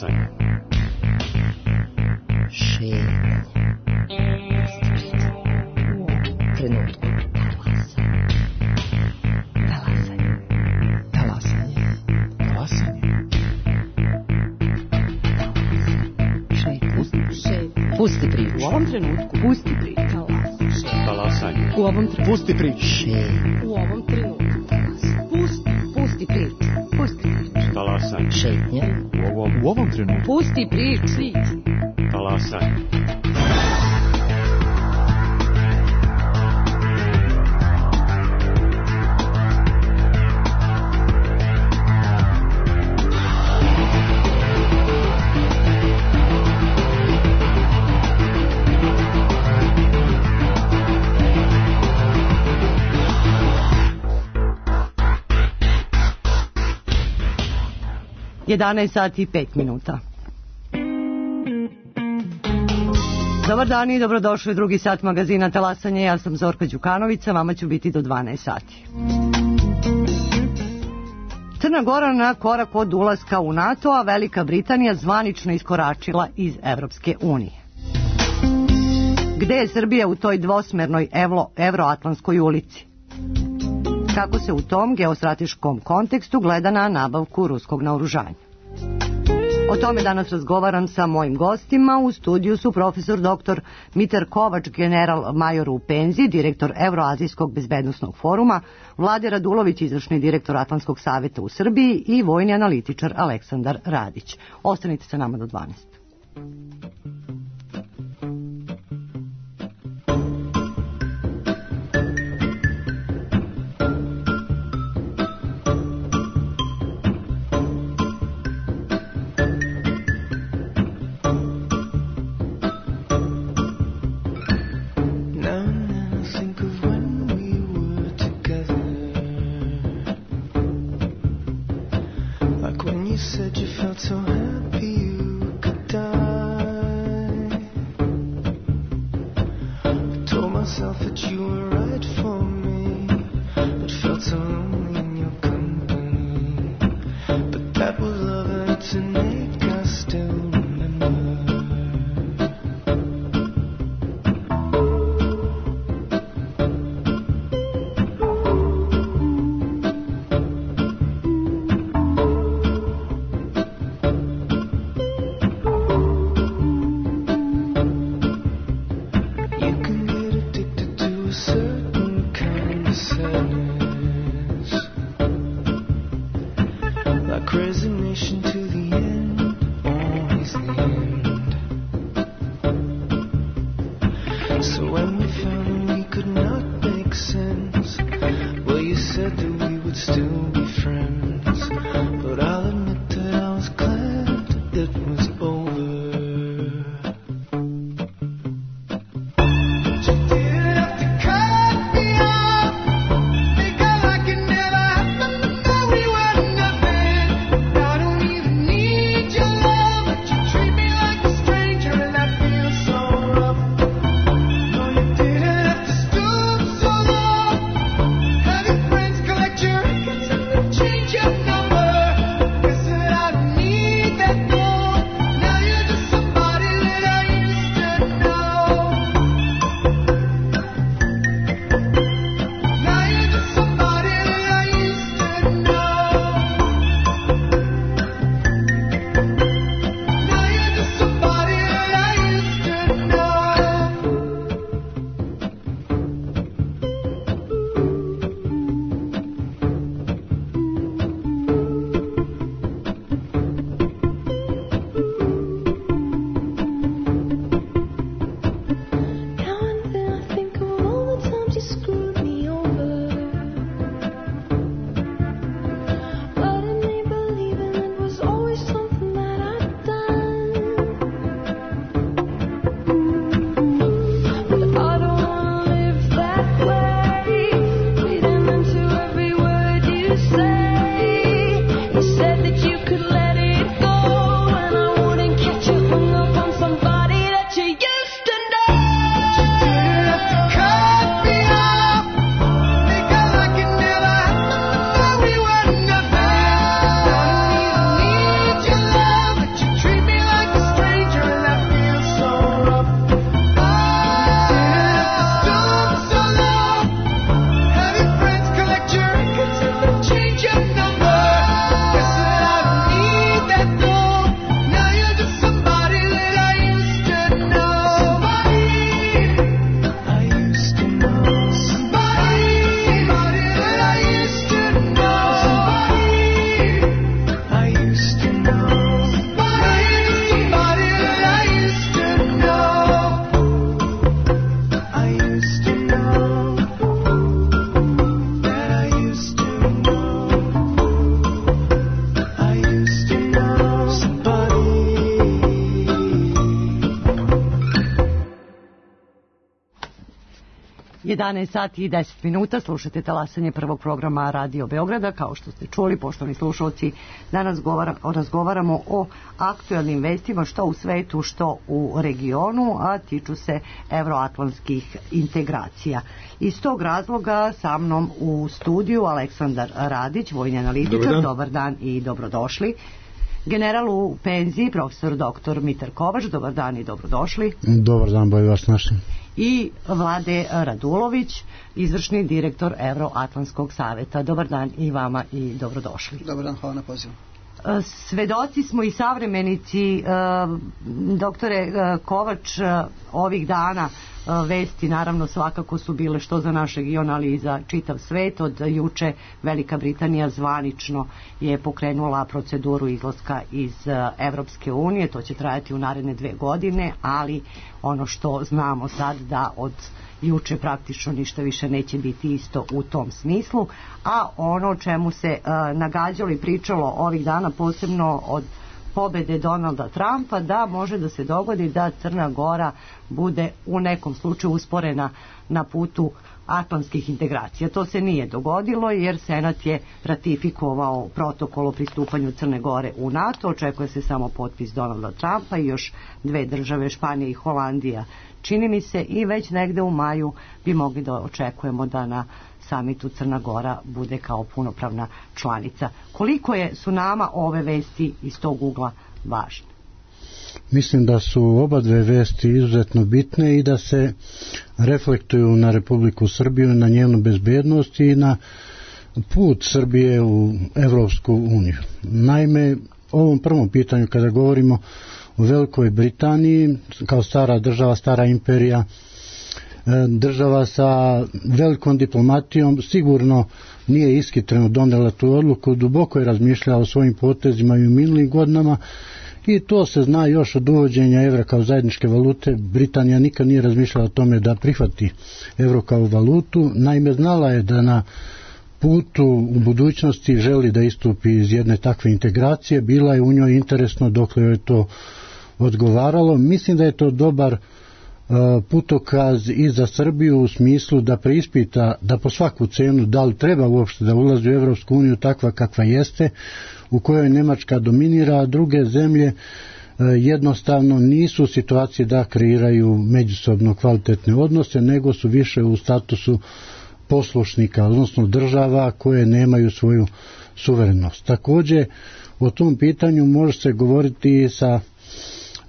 Talasanje. Šetnje. Trenutku. Talasanje. Talasanje. Talasanje. Šetnje. Pusti priču. U ovom trenutku. Pusti priču. Talasanje. U ovom trenutku. Pusti priču. Šetnje. U ovom trenutku. Pusti priču. Pusti priču. Talasanje. Šetnje. U ovom trenutku. Pusti priču. Talasanje. Jedanaest sati i 5 minuta. Dobar dan i dobrodošli u drugi sat magazina Talasanje. Ja sam Zorka Đukanovića, vama ću biti do 12 sati. Crna Gora na korak od ulaska u NATO, a Velika Britanija zvanično iskoračila iz Evropske unije. Gde je Srbija u toj dvosmernoj evroatlantskoj ulici? Kako se u tom geostrateškom kontekstu gleda na nabavku ruskog naoružanja? O tome danas razgovaram sa mojim gostima. U studiju su profesor dr. Mitar Kovač, general major u penziji, direktor Evroazijskog bezbednosnog foruma, Vlade Radulović, izvršni direktor Atlantskog saveta u Srbiji i vojni analitičar Aleksandar Radić. Ostanite sa nama do 12. Collect 11 sati i 10 minuta, slušate talasanje prvog programa Radio Beograda. Kao što ste čuli, poštovani slušalci, danas razgovaramo o aktuelnim vestima što u svetu, što u regionu, a tiču se evroatlantskih integracija. Iz tog razloga sa mnom u studiju Aleksandar Radić, vojni analitičar. Dobar dan i dobrodošli. General u penziji, profesor dr. Mitar Kovač, dobar dan i dobrodošli. Dobar dan, bolje vas našli. I Vlade Radulović, izvršni direktor Evroatlantskog saveta. Dobar dan i vama i dobrodošli. Dobar dan, hvala na pozivu. Svedoci smo i savremenici, doktore Kovač, ovih dana vesti naravno svakako su bile što za naš region, ali i za čitav svet. Od juče Velika Britanija zvanično je pokrenula proceduru izlaska iz Evropske unije. To će trajati u naredne 2 godine, ali ono što znamo sad da od juče praktično ništa više neće biti isto u tom smislu. A ono o čemu se nagađalo i pričalo ovih dana, posebno od pobede Donalda Trumpa, da može da se dogodi da Crna Gora bude u nekom slučaju usporena na putu atlantskih integracija. To se nije dogodilo jer Senat je ratifikovao protokol o pristupanju Crne Gore u NATO. Očekuje se samo potpis Donalda Trumpa i još 2 države, Španija i Holandija. Čini mi se i već negde u maju bi mogli da očekujemo da na samitu Crna Gora bude kao punopravna članica. Koliko su nama ove vesti iz tog ugla važne? Mislim da su oba dve vesti izuzetno bitne i da se reflektuju na Republiku Srbiju, na njenu bezbednost i na put Srbije u Evropsku uniju. Naime, o ovom prvom pitanju kada govorimo o Velikoj Britaniji, kao stara država, stara imperija, država sa velikom diplomatijom, sigurno nije ishitreno donela tu odluku, duboko je razmišljala o svojim potezima i u minulim godinama i to se zna još od uvođenja evra kao zajedničke valute. Britanija nikad nije razmišljala o tome da prihvati evro kao valutu, naime znala je da na putu u budućnosti želi da istupi iz jedne takve integracije, bila je u njoj interesno dokle joj to odgovaralo. Mislim da je to dobar putokaz i za Srbiju u smislu da preispita da po svaku cenu da li treba uopšte da ulazi u Evropsku uniju takva kakva jeste, u kojoj Nemačka dominira, a druge zemlje jednostavno nisu u situaciji da kreiraju međusobno kvalitetne odnose, nego su više u statusu poslušnika, odnosno država koje nemaju svoju suverenost. Također, o tom pitanju može se govoriti sa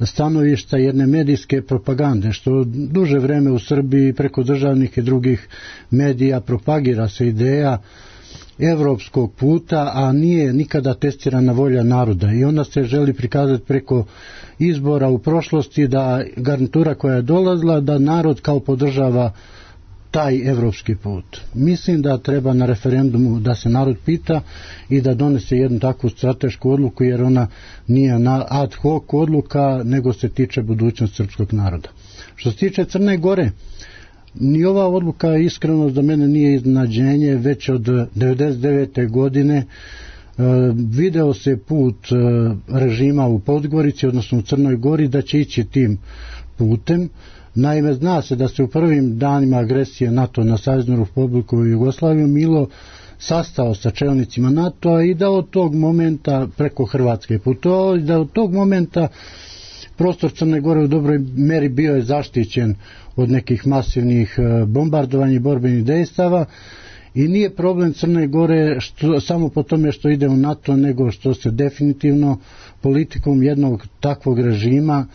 stanovišta jedne medijske propagande, što duže vreme u Srbiji preko državnih i drugih medija propagira se ideja evropskog puta, a nije nikada testirana volja naroda i onda se želi prikazati preko izbora u prošlosti da garnitura koja je dolazila, da narod kao podržava taj evropski put. Mislim da treba na referendumu da se narod pita i da donese jednu takvu stratešku odluku, jer ona nije ad hoc odluka, nego se tiče budućnosti srpskog naroda. Što se tiče Crne Gore, ni ova odluka iskreno za mene nije iznenađenje. Već od 1999. godine video se put režima u Podgorici, odnosno u Crnoj Gori, da će ići tim putem. Naime, zna se da se u prvim danima agresije NATO na Saveznu Republiku Jugoslaviju Milo sastao sa čelnicima NATO-a i da od tog momenta preko Hrvatske putovao i da od tog momenta prostor Crne Gore u dobroj meri bio je zaštićen od nekih masivnih bombardovanja i borbenih dejstava i nije problem Crne Gore samo po tome što ide u NATO, nego što se definitivno politikom jednog takvog režima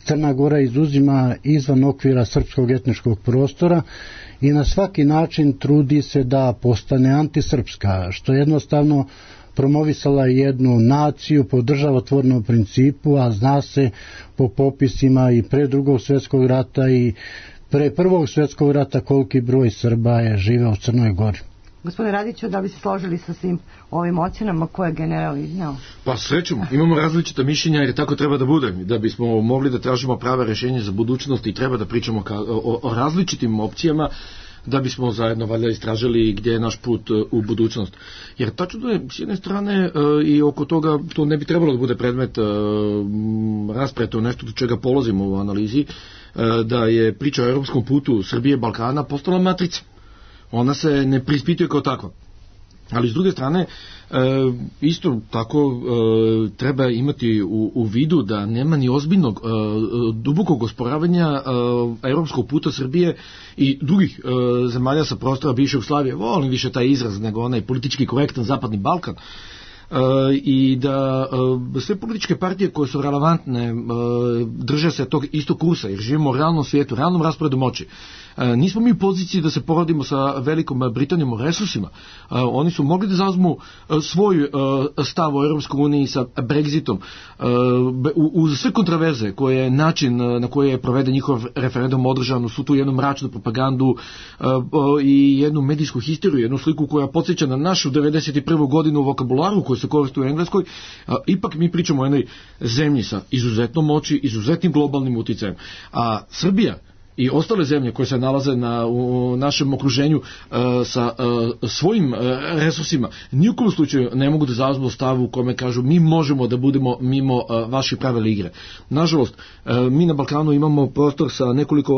Crna Gora izuzima izvan okvira srpskog etničkog prostora i na svaki način trudi se da postane antisrpska, što jednostavno promovisala jednu naciju po državotvornom principu, a zna se po popisima i pre Drugog svjetskog rata i pre Prvog svjetskog rata koliki broj Srba je živeo u Crnoj Gori. Gospodine Radiću, da bi se složili sa svim ovim ocjenama koje je general izneo? Pa srećom, imamo različita mišljenja jer tako treba da bude. Da bismo mogli da tražimo prave rešenje za budućnost i treba da pričamo o različitim opcijama. da bismo zajedno valjda istražili gdje je naš put u budućnost. Jer tačno je s jedne strane i oko toga to ne bi trebalo da bude predmet rasprave, nešto do čega polazimo u analizi, da je priča o europskom putu Srbije i Balkana postala matrica. Ona se ne preispituje kao takva. Ali s druge strane, isto tako treba imati u vidu da nema ni ozbiljnog dubokog osporavanja europskog puta Srbije i drugih zemalja sa prostora bivše Jugoslavije. Volim više taj izraz nego onaj politički korektan Zapadni Balkan. I da sve političke partije koje su relevantne drže se tog istog kursa, jer živimo u realnom svijetu, realnom rasporedu moći. Nismo mi u poziciji da se porodimo sa Velikom Britanijom u resursima. Oni su mogli da zauzmu svoj stav o Europskoj uniji sa Brexitom, uz sve kontraverze koje je način na koji je proveden njihov referendum održan, u svu tu jednu mračnu propagandu i jednu medijsku histeriju, jednu sliku koja podsjeća na našu 91. godinu vokabularu koju se koristi u Engleskoj. Ipak mi pričamo o jednoj zemlji sa izuzetnom moći, izuzetnim globalnim uticajem. A Srbija i ostale zemlje koje se nalaze u našem okruženju sa svojim resursima nijukom slučaju ne mogu da zauzmu stavu u kome kažu mi možemo da budemo mimo vaših pravila igre. Nažalost, mi na Balkanu imamo prostor sa nekoliko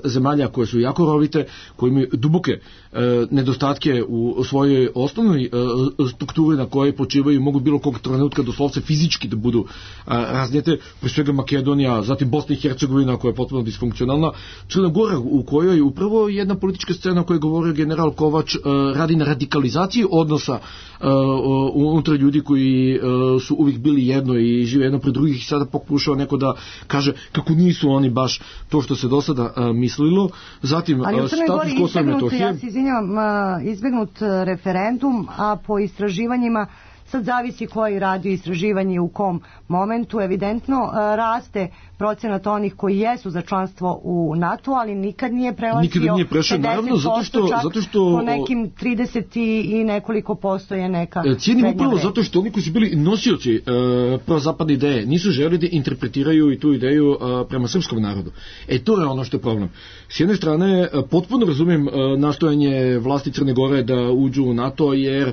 zemalja koje su jako rovite, koje imaju duboke nedostatke u svojoj osnovnoj strukturi na kojoj počivaju, mogu bilo kog trenutka doslovce fizički da budu raznijete, pre svega Makedonija, zatim Bosna i Hercegovina koja je potpuno disfunkcionalna, Crna Gora u kojoj upravo jedna politička scena koju je govorio general Kovač radi na radikalizaciji odnosa unutar ljudi koji su uvijek bili jedno i žive jedno pred drugih i sada pokušava neko da kaže kako nisu oni baš to što se do sada mislilo. Zatim status Kosova i Metohije. Ja se izvinjavam, izbegnut referendum, a po istraživanjima sad zavisi koji radi istraživanje u kom momentu, evidentno raste procenat onih koji jesu za članstvo u NATO, ali nikad nije prelazio 50%, naravno, zato što po nekim 30 i nekoliko posto je neka cijenim upravo zato što oni koji su bili nosioci prozapadne ideje nisu želi da interpretiraju i tu ideju prema srpskom narodu. To je ono što je problem. S jedne strane, potpuno razumijem nastojanje vlasti Crne Gore da uđu u NATO, jer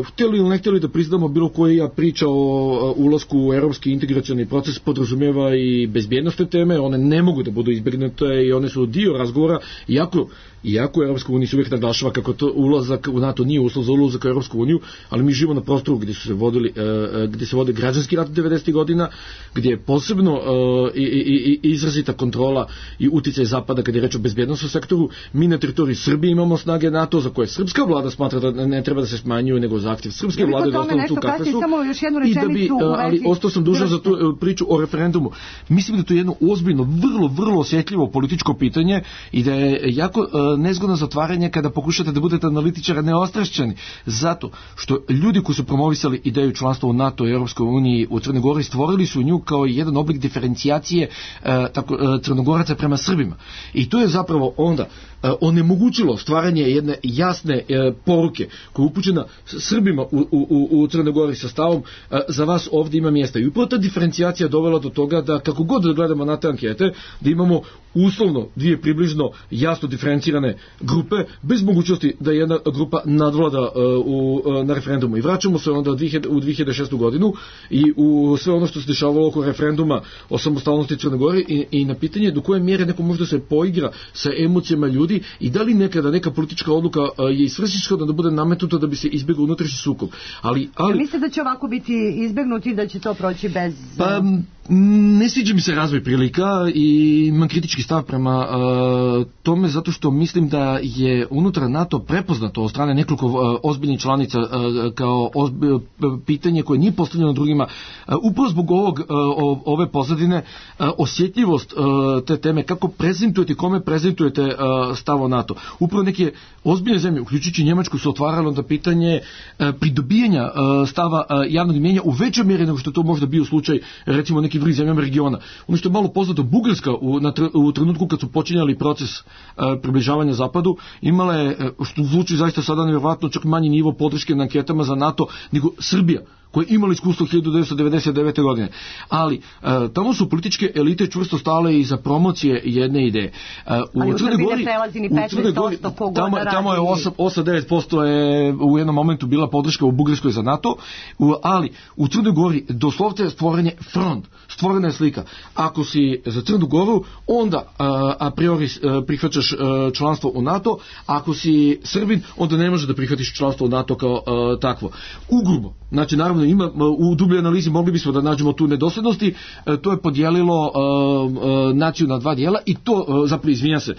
htjeli ili ne htjeli da priznamo bilo koja priča o ulasku u europski integracioni proces podrazumijeva i bezbjednostne teme, one ne mogu da budu izbjegnute i one su dio razgovora, iako Europska unija se uvijek naglašava kako to ulazak u NATO nije uslov za ulazak u Europsku uniju, ali mi živimo na prostoru gdje se vodi građanski rat 90. godina, gdje je posebno izrazita kontrola i uticaj Zapada kad je reč o bezbjednostnom sektoru. Mi na teritoriji Srbije imamo snage NATO za koje srpska vlada smatra da ne treba da se smanjuju, nego zahtjev srpske vlade da ostanu tu kakve su. I da bi, ali ostao sam dužan za tu priču o referendumu. Mislim da to je jedno ozbiljno, vrlo osjetljivo političko pitanje i da je jako nezgodno zatvaranje kada pokušate da budete analitičari neostrašćeni, zato što ljudi koji su promovisali ideju članstva u NATO i Europskoj uniji u Crnoj Gori stvorili su nju kao jedan oblik diferencijacije Crnogoraca prema Srbima. I to je zapravo onda onemogućilo stvaranje jedne jasne poruke koja je upućena Srbima u Crnoj Gori sa stavom za vas ovdje ima mjesta. I upravo ta diferencijacija dovela do toga da kako god da gledamo na te ankete, da imamo uslovno dvije približno jasno diferencirane grupe, bez mogućnosti da jedna grupa nadvlada na referendumu. I vraćamo se onda u 2006. godinu i u sve ono što se dešavalo oko referenduma o samostalnosti Crne Gore i na pitanje do koje mjere neko može da se poigra sa emocijama ljudi i da li nekada neka politička odluka je isvrsishodna da bude nametnuta da bi se izbjegao unutrašnji sukob. Ali mislite da će ovako biti izbjegnuti, da će to proći bez... Pa ne sviđa mi se razvoj prilika i imam kritički stav prema tome zato što mislim da je unutar NATO prepoznato od strane nekoliko ozbiljnih članica kao pitanje koje nije postavljeno drugima. Upravo zbog ove pozadine osjetljivost te teme, kako prezentujete, kome prezentujete stav o NATO. Upravo neke ozbiljne zemlje, uključujući Njemačku, su otvarale onda pitanje pridobijanja stava javnog mnijenja u većoj mjeri nego što to možda bio slučaj recimo nekim drugim zemljama regiona. Ono što je malo poznato, Bugarska u trenutku kad su počinjali proces približavanja Zapadu, imala je, što zvuči zaista sada nevjerojatno, čak manji nivo podrške na anketama za NATO nego Srbija, koje imali iskustvo 1999. godine. Ali tamo su političke elite čvrsto stale iza promocije jedne ideje. Ali u Srbiji ne prelazi ni 15% kogoda radi. Tamo je 8-9% je u jednom momentu bila podrška u Bugarskoj za NATO, ali u Crnoj Gori doslovce stvoren je front, stvorena je slika. Ako si za Crnu Goru, onda a priori prihvaćaš članstvo u NATO, ako si Srbin, onda ne možeš da prihvatiš članstvo u NATO kao takvo. Ugrubo, znači naravno ima u dubljoj analizi mogli bismo da nađemo tu nedoslednosti, to je podijelilo naciju na dva dijela i to zapravo izvinja se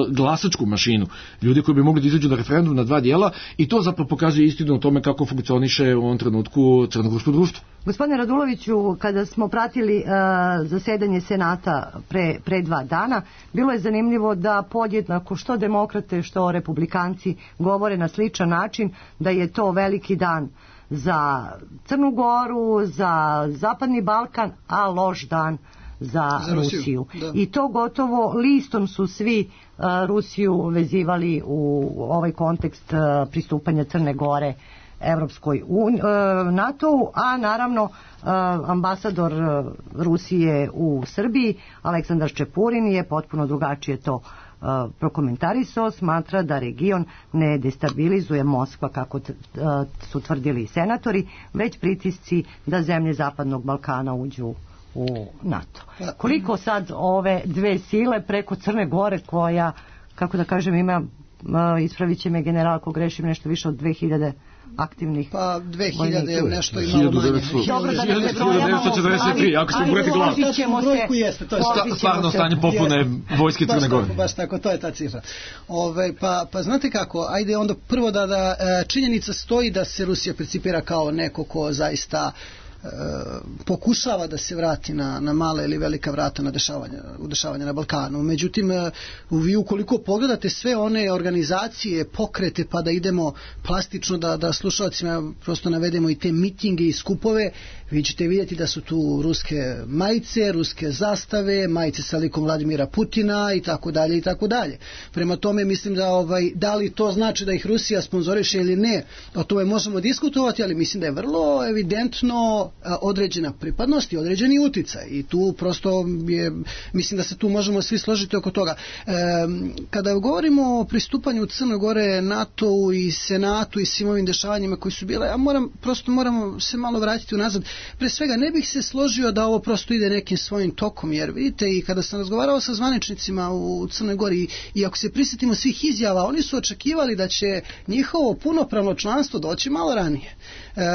glasačku mašinu, ljudi koji bi mogli da izađu na referendum na dva dijela i to zapravo pokazuje istinu o tome kako funkcioniše u ovom trenutku crnogorsko društvo. Gospodine Raduloviću, kada smo pratili zasedanje Senata pre 2 dana, bilo je zanimljivo da podjednako što demokrate, što republikanci govore na sličan način da je to veliki dan za Crnu Goru, za Zapadni Balkan, a loš dan za Rusiju. I to gotovo listom su svi Rusiju vezivali u ovaj kontekst pristupanja Crne Gore Evropskoj NATO-u, a naravno ambasador Rusije u Srbiji Aleksandar Ščepurin je potpuno drugačije to prokomentarisao, smatra da region ne destabilizuje Moskva kako su tvrdili senatori, već pritisci da zemlje Zapadnog Balkana uđu u NATO. Koliko sad ove dve sile preko Crne Gore koja, kako da kažem, ima, ispravit će me general ako grešim, nešto više od 2000 aktivnih. Pa 2000 nešto i malo manje. 1943, ako smo brojati glavu. Stvarno stanje popune vojske Crne Gore. Baš tako, to je ta cifra. Pa znate kako, ajde onda prvo da činjenica stoji da se Rusija percipira kao neko ko zaista pokušava da se vrati na male ili velika vrata na dešavanja na Balkanu. Međutim, vi ukoliko pogledate sve one organizacije, pokrete, pa da idemo plastično da slušalcima prosto navedemo i te mitinge i skupove, vi ćete vidjeti da su tu ruske majice, ruske zastave, majice sa likom Vladimira Putina i tako dalje i tako dalje. Prema tome mislim da li to znači da ih Rusija sponzoriše ili ne, o tome možemo diskutovati, ali mislim da je vrlo evidentno određena pripadnost i određeni uticaj i tu prosto mislim da se tu možemo svi složiti oko toga. Kada govorimo o pristupanju Crne Gore NATO-u i Senatu i svim ovim dešavanjima koji su bile, moramo se malo vratiti unazad. Pre svega ne bih se složio da ovo prosto ide nekim svojim tokom, jer vidite i kada sam razgovarao sa zvaničnicima u Crnoj Gori i ako se prisjetimo svih izjava, oni su očekivali da će njihovo punopravno članstvo doći malo ranije.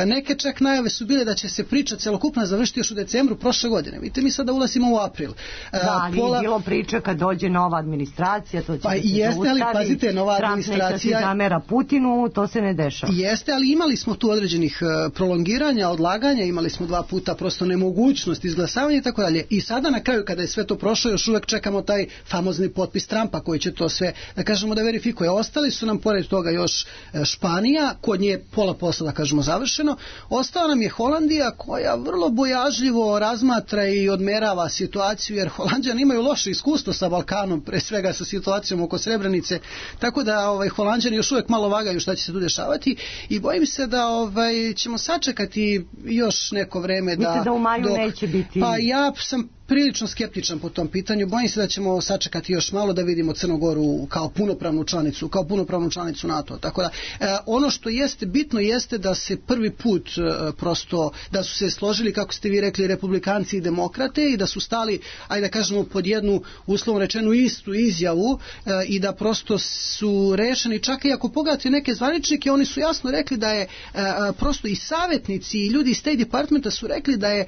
Neke čak najave su bile da će se priča celokupna završiti još u decembru prošle godine. Vidite, mi sada ulazimo u april. Da, ali je bilo priče kad dođe nova administracija, to će pa jeste, ali pazite, nova administracija... Trump neće se zamera Putinu, to se ne dešava. Jeste, ali imali smo tu određenih prolongiranja, odlaganja, imali smo 2 puta prosto nemogućnost izglasavanja i tako dalje. I sada na kraju, kada je sve to prošlo, još uvek čekamo taj famozni potpis Trumpa koji će to sve, da kažemo, da verifikuje. Ostali su nam pored toga još Španija, kod nje pola posla, da kažemo, završeno. Ostala nam je Holandija koja vrlo bojažljivo razmatra i odmerava situaciju, jer Holanđani imaju loše iskustvo sa Balkanom, pre svega sa situacijom oko Srebrenice, tako da Holanđani još uvijek malo vagaju šta će se tu dešavati i bojim se da ćemo sačekati još neko vreme da u maju neće biti. Pa ja sam prilično skeptičan po tom pitanju. Bojim se da ćemo sačekati još malo da vidimo Crnu Goru kao punopravnu članicu NATO. Tako da ono što jeste bitno jeste da se prvi put prosto da su se složili, kako ste vi rekli, republikanci i demokrate i da su stali, ajde da kažemo, pod jednu uslovno rečenu istu izjavu i da prosto su rešeni. Čak i ako pogledate neke zvaničnike, oni su jasno rekli da je prosto i savjetnici i ljudi iz State Departmenta su rekli da je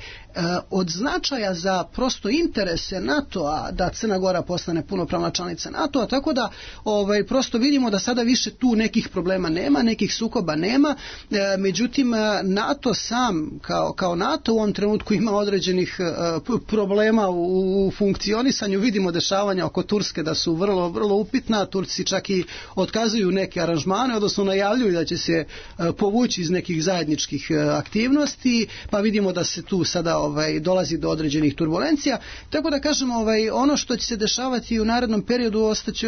od značaja za prosto interese NATO-a da Crna Gora postane punopravna članica NATO-a, tako da prosto vidimo da sada više tu nekih problema nema, nekih sukoba nema, međutim NATO sam kao NATO u ovom trenutku ima određenih problema u funkcionisanju. Vidimo dešavanja oko Turske da su vrlo, vrlo upitna, Turci čak i otkazuju neke aranžmane, odnosno najavljuju da će se povući iz nekih zajedničkih aktivnosti, pa vidimo da se tu sada dolazi do određenih turbulencija. intervencija, tako da kažem, ono što će se dešavati u narednom periodu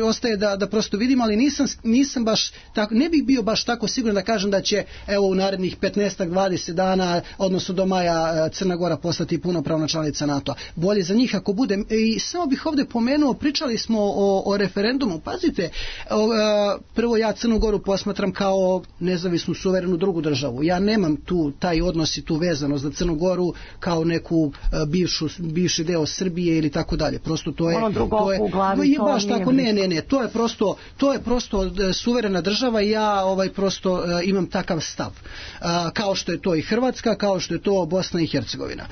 ostaje da prosto vidim, ali nisam baš tako, ne bih bio baš tako siguran da kažem da će u narednih 15-20 dana, odnosno do maja, Crna Gora postati punopravna članica NATO-a. Bolje za njih ako bude. I samo bih ovdje pomenuo, pričali smo o referendumu. Pazite, prvo ja Crnu Goru posmatram kao nezavisnu, suverenu drugu državu. Ja nemam taj odnos i tu vezanost za Crnu Goru kao neku bivši deo Srbije ili tako dalje. Prosto to je u glavi, to baš tako, ne, to je prosto suverena država i ja prosto imam takav stav. Kao što je to i Hrvatska, kao što je to Bosna i Hercegovina.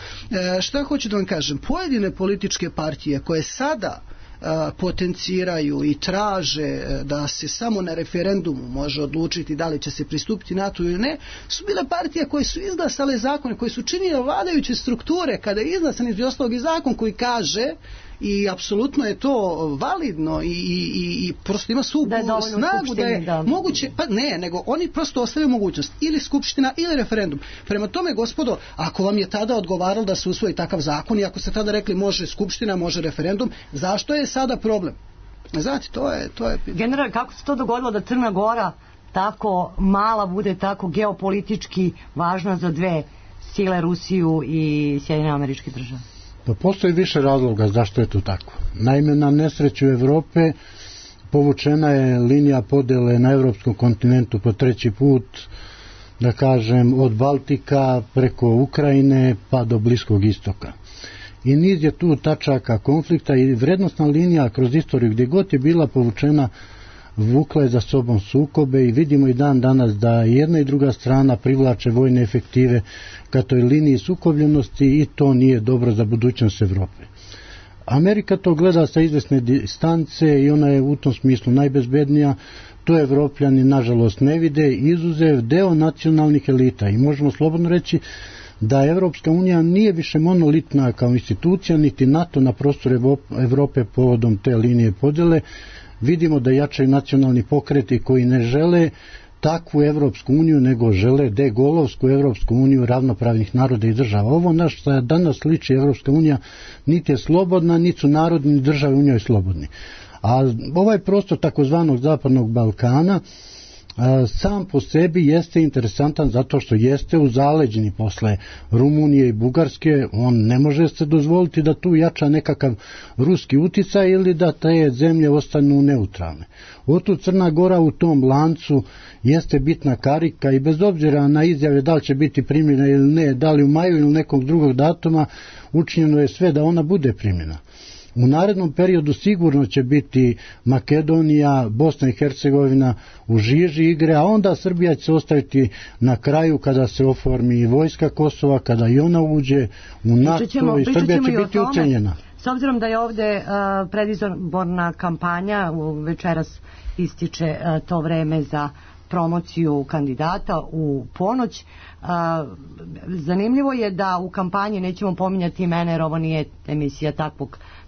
Šta hoću da vam kažem? Pojedine političke partije koje sada potenciraju i traže da se samo na referendumu može odlučiti da li će se pristupiti NATO ili ne, su bile partije koje su izglasale zakone, koje su činile vladajuće strukture, kada je izglasan između ostalog i zakon koji kaže, i apsolutno je to validno i prosto ima svu snagu da je moguće, pa ne, nego oni prosto ostavljaju mogućnost ili skupština ili referendum. Prema tome, gospodo, ako vam je tada odgovaralo da se usvoji takav zakon i ako ste tada rekli može skupština, može referendum, zašto je sada problem? Znate, to je... General, kako se to dogodilo da Crna Gora tako mala bude tako geopolitički važna za dve sile, Rusiju i Sjedinjene Američke Države? Pa postoji više razloga zašto je to tako. Naime, na nesreću Evrope povučena je linija podele na evropskom kontinentu po treći put, da kažem, od Baltika preko Ukrajine pa do Bliskog istoka. I niz je tu tačaka konflikta i vrednostna linija kroz istoriju gdje god je bila povučena vukla je za sobom sukobe i vidimo i dan danas da jedna i druga strana privlače vojne efektive ka toj liniji sukobljenosti i to nije dobro za budućnost Evrope. Amerika to gleda sa izvesne distance i ona je u tom smislu najbezbednija, to Evropljani nažalost ne vide, izuzev deo nacionalnih elita i možemo slobodno reći da Evropska unija nije više monolitna kao institucija, niti NATO na prostoru Evrope povodom te linije podjele. Vidimo da jačaju nacionalni pokreti koji ne žele takvu Evropsku uniju, nego žele degolovsku Evropsku uniju ravnopravnih naroda i država. Ovo na što danas liči Evropska unija niti je slobodna, niti su narodni države u njoj slobodni. A ovaj prostor takozvanog Zapadnog Balkana sam po sebi jeste interesantan zato što jeste u zaleđini posle Rumunije i Bugarske, on ne može se dozvoliti da tu jača nekakav ruski uticaj ili da te zemlje ostanu neutralne. Otud Crna Gora u tom lancu jeste bitna karika i bez obzira na izjave da li će biti primljena ili ne, da li u maju ili nekog drugog datuma, učinjeno je sve da ona bude primljena. U narednom periodu sigurno će biti Makedonija, Bosna i Hercegovina u žiži igre, a onda Srbija će se ostaviti na kraju kada se oformi vojska Kosova, kada i ona uđe u NATO i Srbija će biti ucenjena. S obzirom da je ovde predizborna kampanja, večeras ističe to vreme za promociju kandidata u ponoć. Zanimljivo je da u kampanji, nećemo pominjati imena jer ovo nije emisija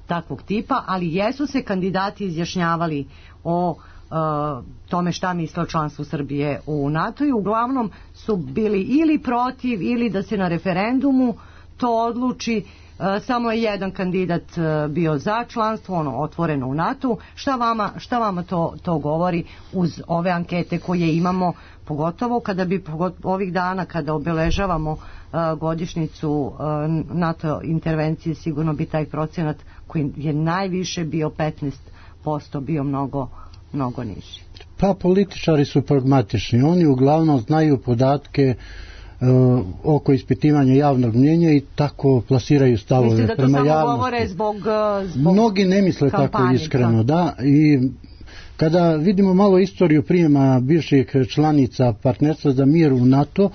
takvog tipa, ali jesu se kandidati izjašnjavali o tome šta misle o članstvu Srbije u NATO i uglavnom su bili ili protiv ili da se na referendumu to odluči. Samo je jedan kandidat bio za članstvo, ono otvoreno u NATO. Šta vama to govori uz ove ankete koje imamo, pogotovo kada bi ovih dana kada obeležavamo godišnjicu NATO intervencije, sigurno bi taj procenat koji je najviše bio 15% bio mnogo niži. Pa političari su pragmatični, oni uglavnom znaju podatke oko ispitivanja javnog mnjenja i tako plasiraju stavove prema javnosti. Mislite da to samo govore zbog mnogi ne misle tako iskreno, da, i kada vidimo malo istoriju prijema bivših članica partnerstva za mir u NATO,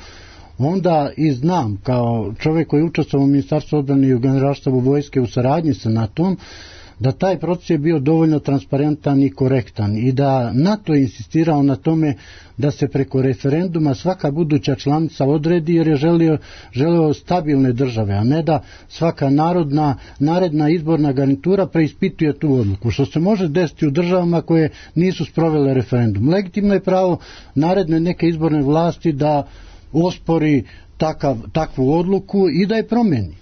onda i znam kao čovjek koji je učestvovao u Ministarstvu odbrane i u Generalštabu vojske u saradnji sa NATO-om, da taj proces je bio dovoljno transparentan i korektan i da NATO je insistirao na tome da se preko referenduma svaka buduća članica odredi jer je želeo stabilne države, a ne da svaka naredna izborna garnitura preispituje tu odluku, što se može desiti u državama koje nisu sprovele referendum. Legitimno je pravo naredne neke izborne vlasti da ospori takvu odluku i da je promeni.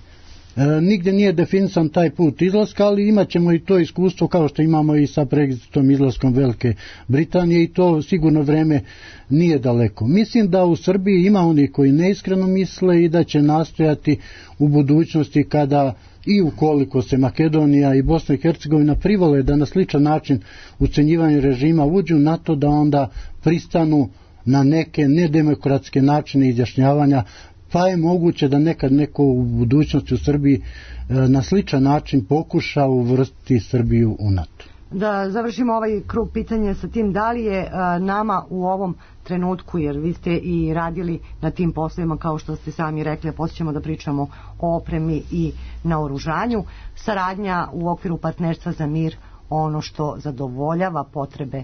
Nigdje nije definisan taj put izlaska, ali imat ćemo i to iskustvo kao što imamo i sa Brexitom, izlaskom Velike Britanije, i to sigurno vreme nije daleko. Mislim da u Srbiji ima oni koji neiskreno misle i da će nastojati u budućnosti, kada i ukoliko se Makedonija i Bosna i Hercegovina privole da na sličan način ucenjivanje režima uđu na to, da onda pristanu na neke nedemokratske načine izjašnjavanja, pa je moguće da nekad neko u budućnosti u Srbiji na sličan način pokuša uvrstiti Srbiju u NATO. Da završimo ovaj krug pitanja sa tim, da li je nama u ovom trenutku, jer vi ste i radili na tim poslovima, kao što ste sami rekli, a poslije ćemo da pričamo o opremi i naoružanju, saradnja u okviru partnerstva za mir ono što zadovoljava potrebe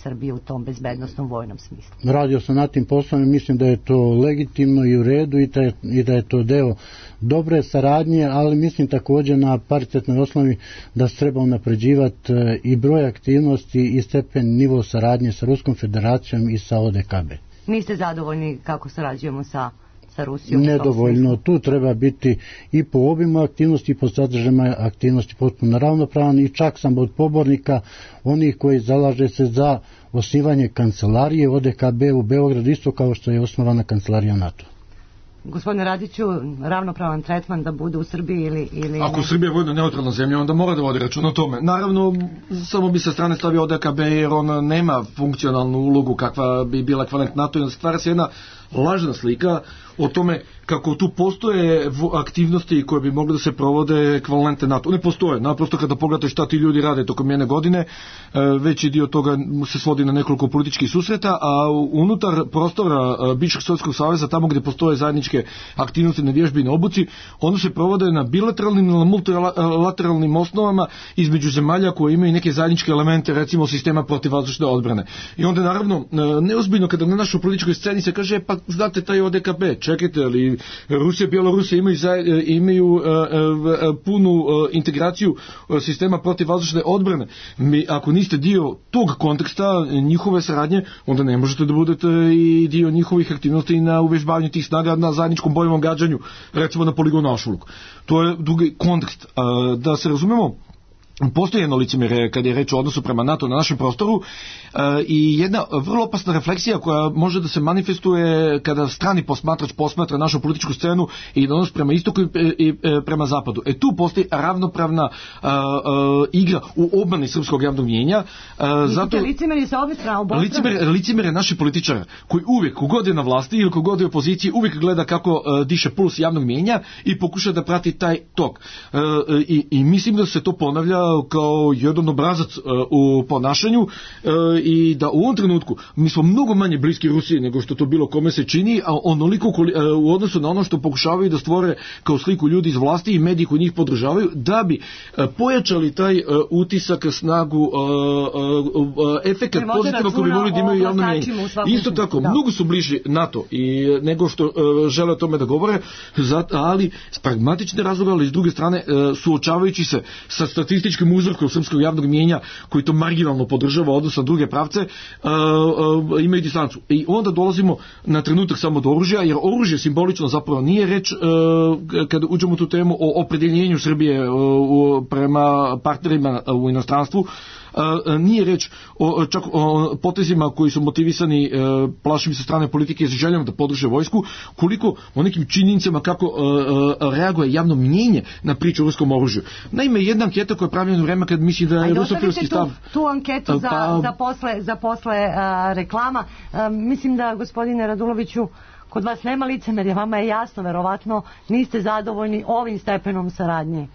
Srbije u tom bezbednostnom vojnom smislu? Radio sam na tim poslovima, mislim da je to legitimno i u redu i da je to deo dobre saradnje, ali mislim također na paritetnoj osnovi da se treba unapređivati i broj aktivnosti i stepen nivo saradnje sa Ruskom federacijom i sa ODKB. Niste zadovoljni kako sarađujemo sa Rusijom? Nedovoljno, tu treba biti i po obimu aktivnosti i po sadržajima aktivnosti potpuno ravnopravan, i čak sam od pobornika onih koji zalaže se za osnivanje kancelarije ODKB u Beogradu, isto kao što je osnovana kancelarija NATO. Gospodine Radiću, ravnopravan tretman da bude u Srbiji ili ako ne? Srbija je vojno neutralna zemlja, onda mora da vodi račun o tome. Naravno, samo bi sa strane stavio ODKB, jer on nema funkcionalnu ulogu kakva bi bila ekvivalent NATO, i onda stvara se jedna lažna slika o tome kako tu postoje aktivnosti koje bi mogle da se provode ekvivalente NATO. Ne postoje. Naprosto kada pogledate šta ti ljudi rade tokom jedne godine, veći dio toga se svodi na nekoliko političkih susreta, a unutar prostora bivšeg Sovjetskog saveza, tamo gdje postoje zajedničke aktivnosti na vježbi i na obuci, one se provode na bilateralnim ili multilateralnim osnovama između zemalja koje imaju neke zajedničke elemente, recimo sistema protivvazdušne odbrane. I onda naravno neozbiljno kada na našoj političkoj sceni se kaže, pa znate taj ODKB, čekajte, ali Rusija i Bjelorusija imaju punu integraciju sistema protivvazdušne odbrane. Ako niste dio tog konteksta njihove saradnje, onda ne možete da budete i dio njihovih aktivnosti na uvežbavanju tih snaga na zajedničkom bojnom gađanju, recimo na poligonu Aušvuluk. To je drugi kontekst. Da se razumemo, postoji jedno licemjerje kad je reč o odnosu prema NATO na našem prostoru, i jedna vrlo opasna refleksija koja može da se manifestuje kada strani posmatrač posmatra našu političku scenu i odnos prema istoku i prema zapadu. Tu postoji ravnopravna igra u obmani srpskog javnog mnjenja. Zato licemjerje sa obje strane. Licemjerje naših političara koji uvijek, kogod je na vlasti ili kogod je u opoziciji, uvijek gleda kako diše puls javnog mnjenja i pokuša da prati taj tok. I mislim da se to ponavlja kao jedan obrazac u ponašanju, i da u ovom trenutku mi smo mnogo manje bliski Rusiji nego što to bilo kome se čini, a onoliko u odnosu na ono što pokušavaju da stvore kao sliku ljudi iz vlasti i mediji koji njih podržavaju, da bi pojačali taj utisak, snagu, efekat pozitivno koji bi mogli da imaju javno mnjenje. Isto tako, mnogo su bliži NATO i nego što žele o tome da govore, ali s pragmatične razloga, ali s druge strane suočavajući se sa statističkim uzorkom srpskog javnog mnjenja koji to marginalno podržava odnosno na druge pravce, imaju distancu. I onda dolazimo na trenutak samo do oružja, jer oružje simbolično zapravo nije reč, kada uđemo u tu temu, o opredjeljenju Srbije prema partnerima u inostranstvu, nije reč čak o potezima koji su motivisani plašim sa strane politike sa željom da podrže vojsku, koliko o nekim činjenicama kako reaguje javno mnjenje na priču o ruskom oružju. Naime, jedna anketa koja je pravljena u vreme kad misli da je rusofilski stav... tu anketu za posle reklama. Mislim da, gospodine Raduloviću, kod vas nema licemerja, vama je jasno, verovatno niste zadovoljni ovim stepenom saradnje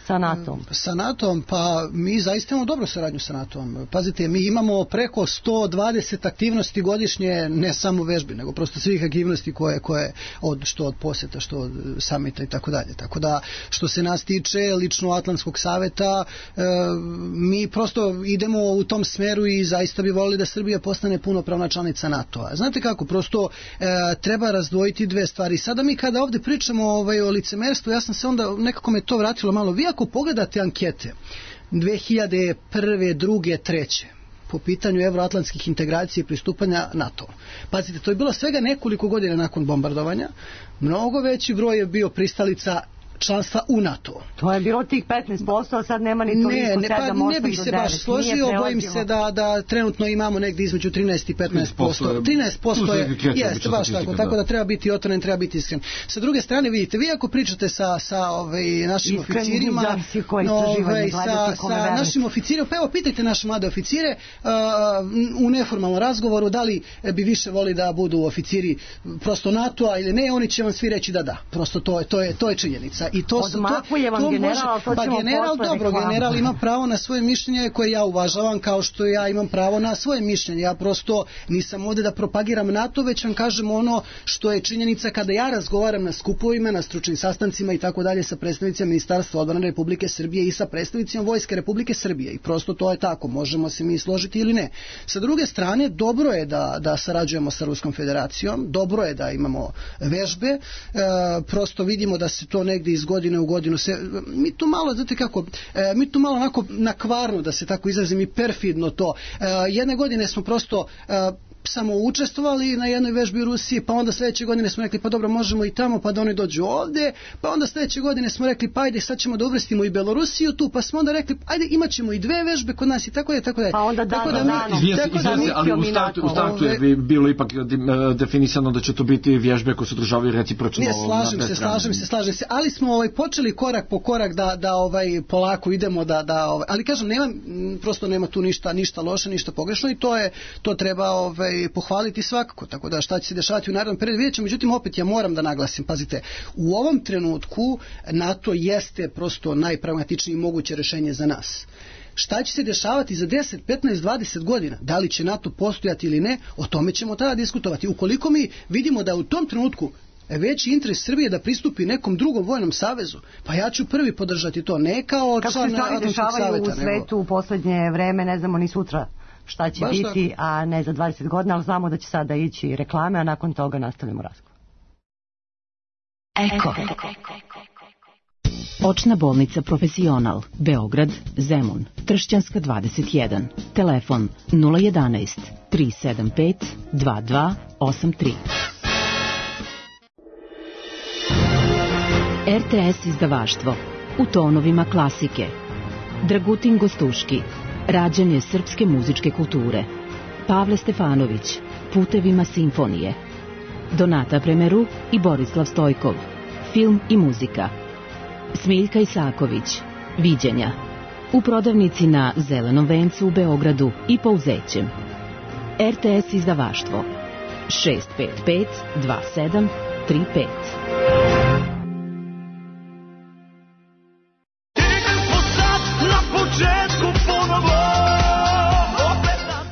sa NATO-om. Sa NATO-om, pa mi zaista imamo dobru saradnju sa NATO-om. Pazite, mi imamo preko 120 aktivnosti godišnje, ne samo vežbi, nego prosto svih aktivnosti koje što od posjeta, što od samita i tako dalje. Tako da, što se nas tiče lično Atlantskog saveta, mi prosto idemo u tom smeru i zaista bi volili da Srbija postane punopravna članica NATO-a. Znate kako, prosto treba razdvojiti dve stvari. Sada mi kada ovdje pričamo o licemerstvu, ja sam se onda, nekako me to vratilo malo. Vi ako pogledate ankete 2001. 2. 3. po pitanju evroatlantskih integracija i pristupanja NATO. Pazite, to je bilo svega nekoliko godina nakon bombardovanja. Mnogo veći broj je bio pristalica članstva u NATO. To je bilo tih 15%, a sad nema ni toliko 7-8 ne bih se baš složio, bojim se da trenutno imamo negdje između 13 i 15%. 13% je, jeste baš tako da treba biti otvoren, treba biti iskren. Sa druge strane, vidite, vi ako pričate sa našim oficirima, sa našim oficirima, pa evo pitajte naše mlade oficire u neformalnom razgovoru da li bi više voli da budu oficiri prosto NATO-a ili ne, oni će vam svi reći da. Prosto to je činjenica. I to odmakuje vam general, to ćemo general ima pravo na svoje mišljenje koje ja uvažavam kao što ja imam pravo na svoje mišljenje. Ja prosto nisam ovdje da propagiram NATO, već vam kažem ono što je činjenica kada ja razgovaram na skupovima, na stručnim sastancima i tako dalje sa predstavnicima Ministarstva odbrane Republike Srbije i sa predstavnicima Vojske Republike Srbije. I prosto to je tako, možemo se mi složiti ili ne. Sa druge strane, dobro je da sarađujemo sa Ruskom federacijom, dobro je da imamo vežbe, prosto vidimo da se to negdje iz godine u godinu mi tu malo, znate kako, mi tu malo onako nakvarno, da se tako izrazim, i perfidno to. Jedne godine smo prosto samo učestvovali na jednoj vežbi u Rusiji, pa onda sljedeće godine smo rekli pa dobro, možemo i tamo, pa da oni dođu ovdje, pa onda sljedeće godine smo rekli pa ajde sad ćemo da uvrstimo i Belorusiju tu, pa smo onda rekli ajde imat ćemo i 2 vežbe kod nas i tako je. Pa onda ali u startu je bilo ipak definisano da će to biti vježbe koje se održavaju recipročno. Ne, slažem se, ali smo počeli korak po korak da polako idemo ali kažem, prosto nema tu ništa loše, ništa pogrešno i to treba pohvaliti svakako, tako da šta će se dešavati u narednom periodu vidjet ćemo. Međutim, opet ja moram da naglasim, pazite, u ovom trenutku NATO jeste prosto najpragmatičnije moguće rješenje za nas. Šta će se dešavati za 10, 15, 20 godina? Da li će NATO postojati ili ne? O tome ćemo tada diskutovati. Ukoliko mi vidimo da u tom trenutku veći interes Srbije da pristupi nekom drugom vojnom savezu, pa ja ću prvi podržati to, ne kao član Atlantskog saveta. Kako se stvari dešavaju u svetu u posljednje vreme, ne znamo ni sutra šta će biti, a ne za 20 godina, ali znamo da će sada ići reklame, a nakon toga nastavljamo razgovor. Eko. Očna bolnica Profesional, Beograd, Zemun, Tršćanska 21, telefon 011 375 2283. RTS izdavaštvo, u tonovima klasike. Dragutin Gostuški, rađanje srpske muzičke kulture. Pavle Stefanović, putevima simfonije. Donata Premeru i Borislav Stojkov, film i muzika. Smiljka Isaković, viđenja. U prodavnici na Zelenom vencu u Beogradu i Pouzećem. RTS izdavaštvo 655 2735.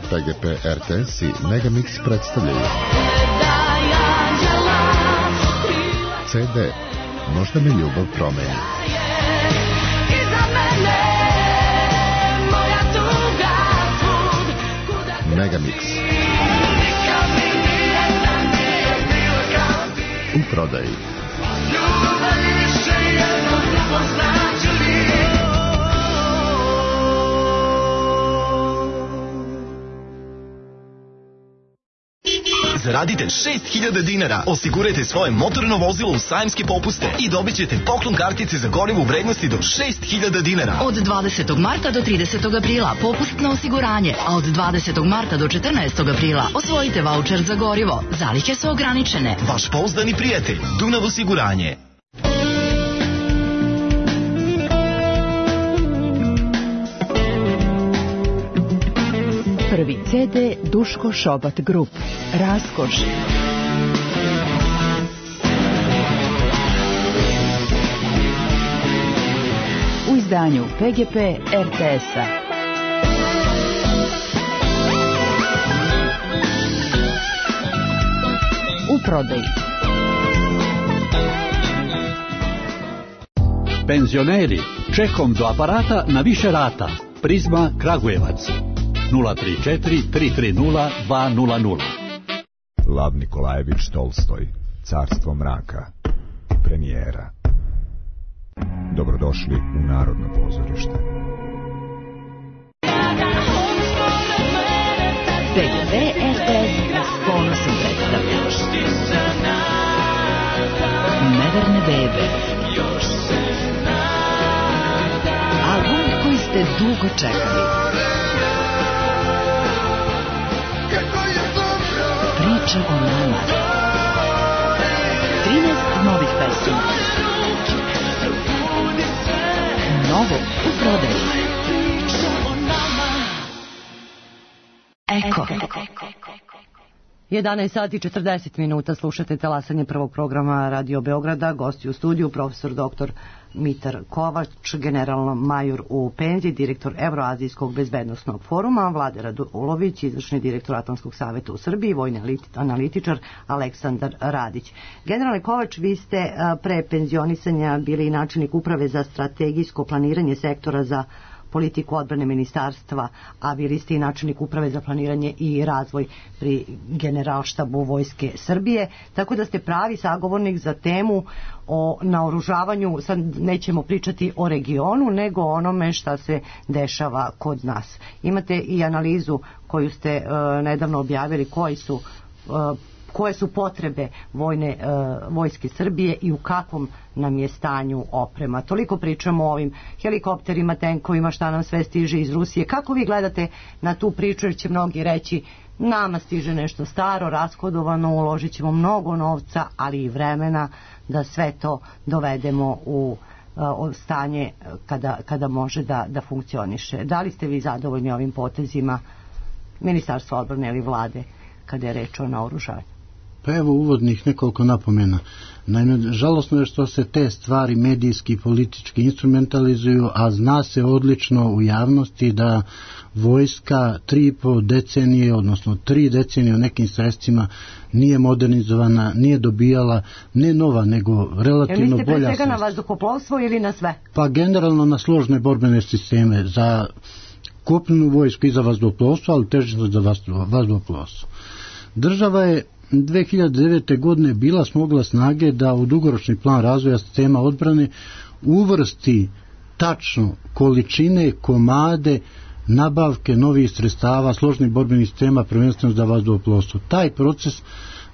PGP RTS i Megamix predstavljaju CD Možda me ljubav promeni. Megamix u prodaji. Zaradite 6.000 dinara, osigurajte svoje motorno vozilo u sajamske popuste i dobit ćete poklon kartice za gorivo u vrednosti do 6.000 dinara. Od 20. marta do 30. aprila popust na osiguranje, a od 20. marta do 14. aprila osvojite vaučer za gorivo. Zalihe su ograničene. Vaš pouzdani prijatelj, Dunav osiguranje. Prvi CD Duško Šobat Grup, Raskoš. U izdanju PGP RTS-a. U prodaji. Penzioneri, čekom do aparata na više rata. Prizma Kragujevac. 034 330 200. Lav Nikolajević Tolstoj, Carstvo mraka, premijera. Dobrodošli u Narodno pozorište. PGP RTS s ponosom predstavlja Neverne bebe. dugo čekali. Priča o nama. 13 novih pesama. Novo u prodaju. Eko. 11 sati 40 minuta, slušate talasanje prvog programa Radio Beograda. Gosti u studiju profesor dr. Mitar Kovač, generalno major u penziji, direktor Evroazijskog bezbednosnog foruma, Vlade Radulović, izvršni direktor Atlantskog saveta u Srbiji, vojni analitičar Aleksandar Radić. Generalne Kovač, vi ste pre penzionisanja bili i načelnik uprave za strategijsko planiranje sektora za politiku odbrane ministarstva, a bili ste i načelnik uprave za planiranje i razvoj pri Generalštabu Vojske Srbije, tako da ste pravi sagovornik za temu o naoružavanju. Sad nećemo pričati o regionu, nego o onome šta se dešava kod nas. Imate i analizu koju ste nedavno objavili, koje su potrebe Vojske Srbije i u kakvom nam je stanju oprema. Toliko pričamo o ovim helikopterima, tenkovima, šta nam sve stiže iz Rusije. Kako vi gledate na tu priču, jer će mnogi reći nama stiže nešto staro, rashodovano, uložit ćemo mnogo novca, ali i vremena da sve to dovedemo u stanje kada može da funkcioniše. Da li ste vi zadovoljni ovim potezima Ministarstva odbrane ili vlade kada je reč o naoružanju? Pa evo uvodnih nekoliko napomena. Naime, žalosno je što se te stvari medijski i politički instrumentalizuju, a zna se odlično u javnosti da vojska 3,5 decenije, odnosno 3 decenije u nekim sredstvima nije modernizovana, nije dobijala ne nova, nego relativno bolja sredstva. Mislite pre svega na vazduhoplovstvo ili na sve? Pa generalno na složne borbene sisteme, za kopnenu vojsku i za vazduhoplovstvo, ali težište za vazduhoplovstvo. Država je 2009. godine bila smogla snage da u dugoročni plan razvoja sistema odbrane uvrsti tačno količine, komade, nabavke novih sredstava, složnih borbenih sistema, prvenstveno za vazduhoplovstvo. Taj proces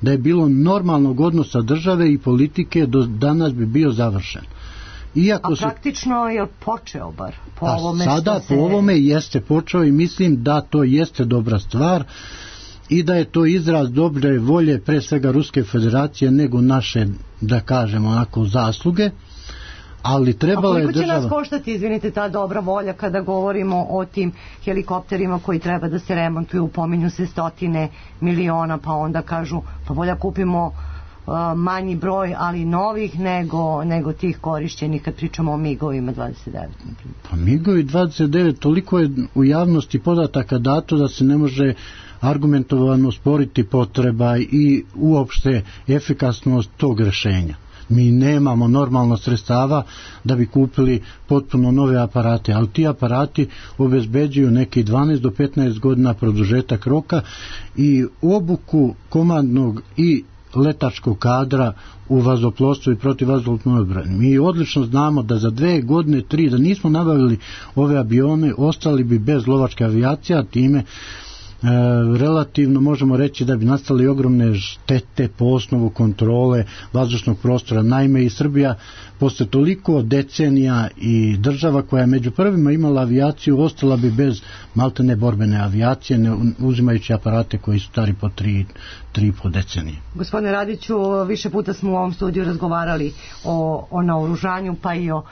da je bilo normalnog odnosa države i politike do danas bi bio završen. A praktično je počeo bar po ovome sada po ovome jeste počeo i mislim da to jeste dobra stvar i da je to izraz dobre volje pre svega Ruske federacije nego naše, da kažemo onako, zasluge, ali trebala je država... A koliko će nas koštati, izvinite, ta dobra volja kada govorimo o tim helikopterima koji treba da se remontuju, pominju se 100 miliona, pa onda kažu pa bolje kupimo manji broj, ali novih nego tih korišćenih kad pričamo o MIG-ovima 29. Pa MIG-ovi 29, toliko je u javnosti podataka dato da se ne može argumentovano sporiti potreba i uopšte efikasnost tog rešenja. Mi nemamo normalno sredstava da bi kupili potpuno nove aparate, ali ti aparati obezbeđuju neki 12 do 15 godina produžetak roka i obuku komandnog i letačkog kadra u vazduhoplovstvu i protivvazdušnoj odbrani. Mi odlično znamo da za 2 godine, 3, da nismo nabavili ove avione, ostali bi bez lovačke avijacije, a time relativno možemo reći da bi nastali ogromne štete po osnovu kontrole vazdušnog prostora. Naime, i Srbija posle toliko decenija i država koja je među prvima imala avijaciju ostala bi bez maltene borbene avijacije, ne uzimajući aparate koji su stari po 3,5 decenije. Gospodine Radiću, više puta smo u ovom studiju razgovarali o naoružanju, pa i o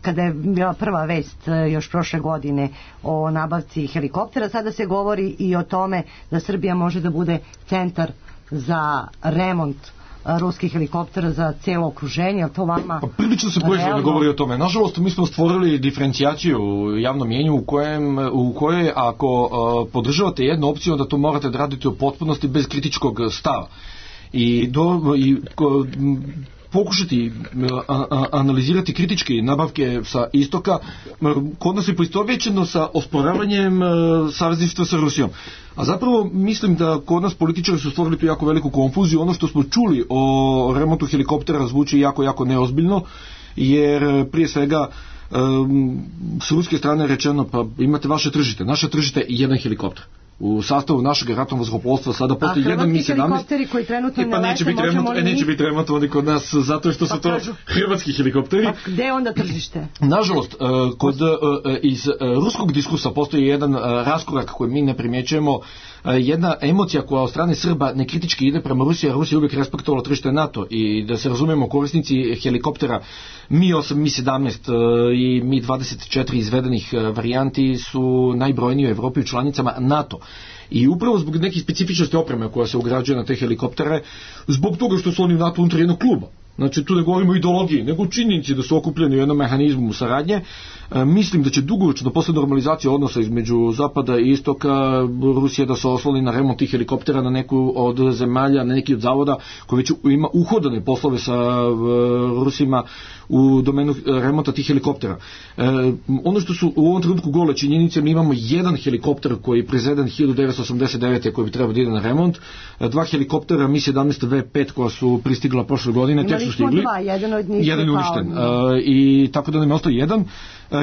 kada je bila prva vest još prošle godine o nabavci helikoptera, sada se govori i o tome da Srbija može da bude centar za remont ruskih helikoptera za cijelo okruženje, to vama... Pa prilično se proizvodno govori o tome. Nažalost, mi smo stvorili diferencijaciju u javnom mjenju u kojoj ako podržavate jednu opciju, onda to morate da radite u potpunosti bez kritičkog stava. Pokušati analizirati kritički nabavke sa istoka, kod nas je poistovjećeno sa osporavanjem savezništva sa Rusijom. A zapravo mislim da kod nas političari su stvorili tu jako veliku konfuziju. Ono što smo čuli o remontu helikoptera zvuči jako, jako neozbiljno, jer prije svega s ruske strane rečeno, pa imate vaše tržište, naše tržište je jedan helikopter. U sastavu našeg ratnog vazduhoplovstva sada postoji jedan Mi-17. A hrvatski helikopteri koji trenutno ne lete, neće biti remontovani kod nas zato što su to hrvatski helikopteri. Pa gde je onda tržište? Nažalost, iz ruskog diskursa postoji jedan raskorak koji mi ne primjećujemo, jedna emocija koja od strane Srba nekritički ide prema Rusiji, a Rusija uvijek respektovala tržište NATO i da se razumemo, korisnici helikoptera Mi-8, Mi-17 i Mi-24 izvedenih varijanti su najbrojniji u Evropi u članicama NATO. I upravo zbog nekih specifičnosti opreme koja se ugrađuje na te helikoptere, zbog toga što su oni u NATO unutar jednog kluba. Znači tu ne govorimo o ideologiji, nego činjenici da su okupljeni u jednom mehanizmu saradnje. Mislim da će dugoročno posle normalizacije odnosa između Zapada i Istoka Rusija da se osloni na remont tih helikoptera na neku od zemalja, na neki od zavoda koji već ima uhodane poslove sa Rusima u domenu remonta tih helikoptera. Ono što su u ovom trenutku gole činjenice, mi imamo jedan helikopter koji je proizveden 1989. koji bi trebao da ide na remont, dva helikoptera Mi-17 V5 koja su pristigla prošle godine, tek su stigli. Jedan od njih jedan je uništen. I tako da nam je ostao jedan.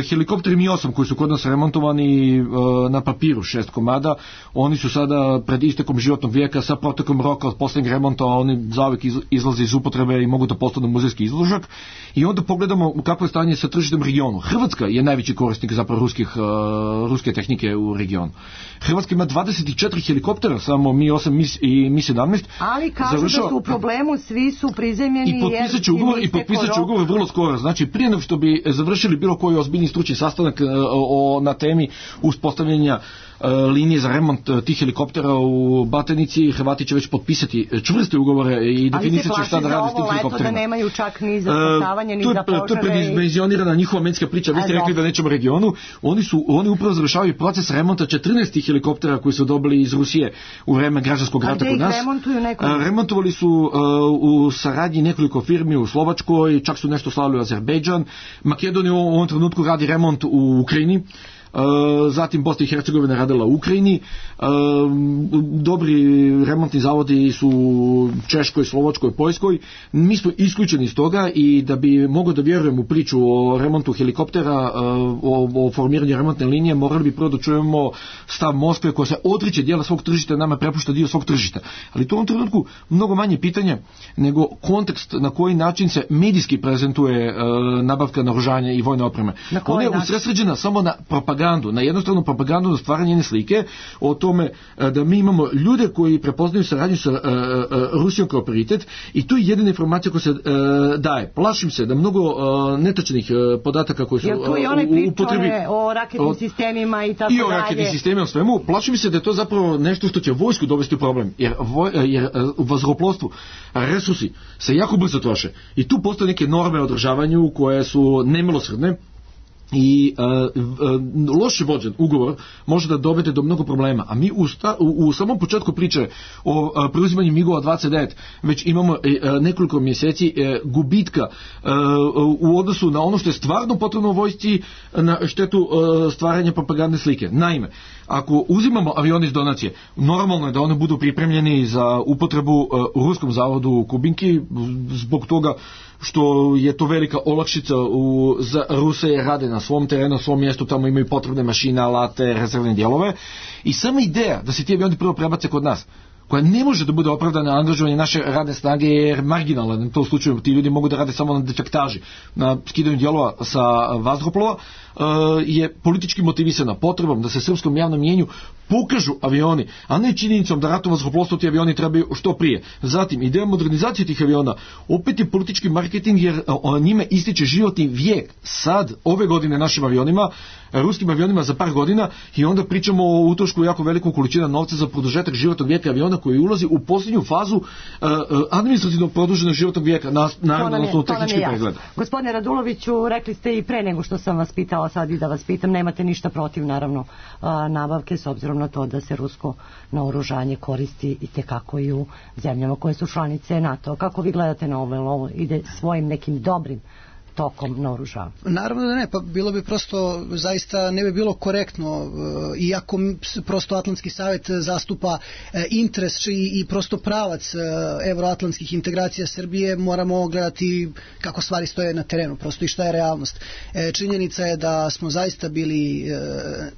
Helikopteri Mi-8 koji su kod nas remontovani na papiru 6 komada, oni su sada pred istekom životnog vijeka sa protekom roka od poslednjeg remonta, oni zauvek izlaze iz upotrebe i mogu da postanu muzejski izložak. I onda pogledamo kakvo je stanje sa tržištem regionu. Hrvatska je najveći korisnik zapravo ruske tehnike u regionu. Hrvatska ima 24 helikoptera, samo Mi-8 i Mi-17. Ali kažu da su u problemu, svi su prizemljeni i potpisat će ugovor vrlo skoro. Znači prije nego što bi završili bilo koji ozbiljni stručni sastanak na temi uspostavljanja linije za remont tih helikoptera u Batenici, Hrvati će već potpisati čvrste ugovore i definisat će šta da radi s tim helikopterima. Ali se plaši da nemaju čak ni za spasavanje, ni za požare. To je predimenzionirana njihova medijska priča. Vi ste rekli da nećemo regionu. Oni upravo završavaju proces remonta 14 helikoptera koji su dobili iz Rusije u vreme građanskog rata kod nas. Remontovali su u saradnji nekoliko firmi u Slovačkoj, čak su nešto slali u Azerbejdžan. Makedonija u ovom trenutku radi remont u Ukrajini. Zatim Bosna i Hercegovina radila u Ukrajini, dobri remontni zavodi su u Češkoj, Slovačkoj, Poljskoj. Mi smo isključeni iz toga i da bi mogao da vjerujem u priču o remontu helikoptera, o formiranju remontne linije, morali bi prvo da čujemo stav Moskve koja se odriče dijela svog tržišta, nama prepušta dio svog tržišta. Ali to u ovom trenutku mnogo manje pitanje nego kontekst na koji način se medijski prezentuje nabavka naoružanja i vojne opreme. Ona je usredsređena samo na propagandu, na jednostavnu propagandu, na stvaranje jedne slike o tome da mi imamo ljude koji prepoznaju saradnju sa Rusijom kao prioritet i to je jedina informacija koja se daje. Plašim se da mnogo netačnih podataka koji su u upotrebi... Jer tu i onaj priča o raketnim sistemima i tako dalje. I o raketnim sistemima, o svemu. Plašim se da je to zapravo nešto što će vojsku dovesti u problem. Jer u vazduhoplovstvu resursi se jako brzo troše. I tu postoje neke norme o održavanju koje su nemilosrdne. I loše vođen ugovor može da dovede do mnogo problema, a mi u samom početku priče o preuzimanju MiG-ova 29 već imamo nekoliko mjeseci gubitka u odnosu na ono što je stvarno potrebno u vojsci na štetu stvaranja propagandne slike. Naime, ako uzimamo avione iz donacije, normalno je da one budu pripremljeni za upotrebu u ruskom zavodu u Kubinki, zbog toga što je to velika olakšica za Ruse, rade na svom terenu, na svom mjestu, tamo imaju potrebne mašine, alate, rezervne dijelove i sama ideja da se ti avioni prvo prebace kod nas, koja ne može da bude opravdana angažovanje naše radne snage jer marginalna, u tom slučaju ti ljudi mogu da rade samo na defektaži, na skidanju dijelova sa vazduhoplova, je politički motivisana potrebom da se srpskom javnom mjenju pokažu avioni, a ne činjenicom da ratno vazduhoplovstvo ti avioni trebaju što prije. Zatim, ideja modernizacije tih aviona opet je politički marketing jer njime ističe životni vijek sad, ove godine našim avionima, ruskim avionima za par godina i onda pričamo o utrošku jako velikom količina novca za produžetak životnog vijeka aviona koji ulazi u posljednju fazu administrativno produženog životnog vijeka, naravno na osnovu tehničkih pregleda. Gospodine Raduloviću, rekli ste i pre nego što sam vas pitala, sad i da vas pitam, nemate ništa protiv naravno nabavke s obzirom na to da se rusko naoružanje koristi i tekako i u zemljama koje su članice NATO. Kako vi gledate na ovo? Ide svojim nekim dobrim tokom naoružavanja? Naravno da ne, pa bilo bi prosto, zaista ne bi bilo korektno, iako prosto Atlantski savjet zastupa interes i prosto pravac evroatlantskih integracija Srbije, moramo gledati kako stvari stoje na terenu, prosto i šta je realnost. Činjenica je da smo zaista bili